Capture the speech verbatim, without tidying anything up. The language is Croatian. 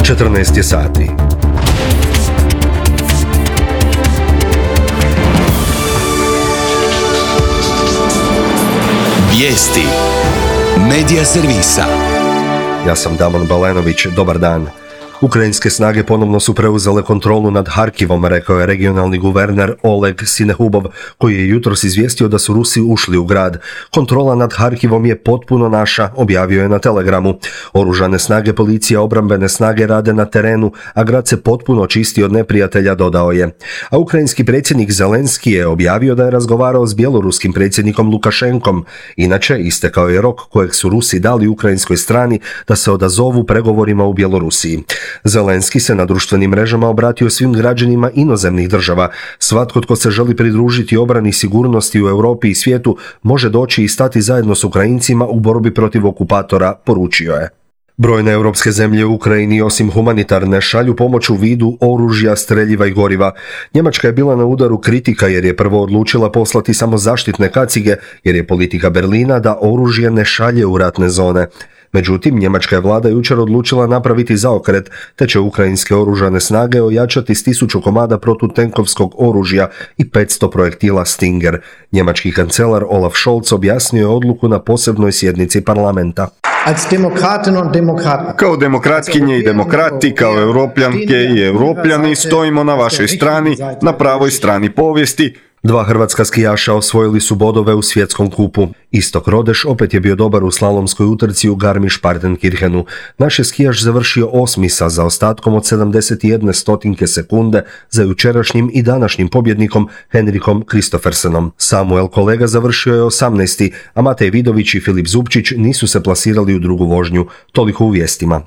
četrnaest je sati. Vijesti Medija servisa. Ja sam Damon Balenović, dobar dan. Ukrajinske snage ponovno su preuzele kontrolu nad Harkivom, rekao je regionalni guverner Oleg Sinehubov, koji je jutros izvijestio da su Rusi ušli u grad. Kontrola nad Harkivom je potpuno naša, objavio je na Telegramu. Oružane snage, policija, obrambene snage rade na terenu, a grad se potpuno čisti od neprijatelja, dodao je. A ukrajinski predsjednik Zelenski je objavio da je razgovarao s bjeloruskim predsjednikom Lukašenkom. Inače, istekao je rok kojeg su Rusi dali ukrajinskoj strani da se odazovu pregovorima u Bjelorusiji. Zelenski se na društvenim mrežama obratio svim građanima inozemnih država. Svatko tko se želi pridružiti obrani sigurnosti u Europi i svijetu može doći i stati zajedno s Ukrajincima u borbi protiv okupatora, poručio je. Brojne europske zemlje u Ukrajini osim humanitarne šalju pomoć u vidu oružja, streljiva i goriva. Njemačka je bila na udaru kritika jer je prvo odlučila poslati samo zaštitne kacige jer je politika Berlina da oružje ne šalje u ratne zone. Međutim, njemačka je vlada jučer odlučila napraviti zaokret, te će ukrajinske oružane snage ojačati s tisuću komada protutenkovskog oružja i petsto projektila Stinger. Njemački kancelar Olaf Scholz objasnio je odluku na posebnoj sjednici parlamenta. Kao demokratkinje i demokrati, kao europljanke i europljani stojimo na vašoj strani, na pravoj strani povijesti. Dva hrvatska skijaša osvojili su bodove u svjetskom kupu. Istok Rodeš opet je bio dobar u slalomskoj utrci u Garmisch-Partenkirchenu. Naš je skijaš završio osmi sa zaostatkom od sedamdeset jedne stotinke sekunde za jučerašnjim i današnjim pobjednikom Henrikom Kristoffersenom. Samuel Kolega završio je osamnaesti, a Matej Vidović i Filip Zupčić nisu se plasirali u drugu vožnju. Toliko u vijestima.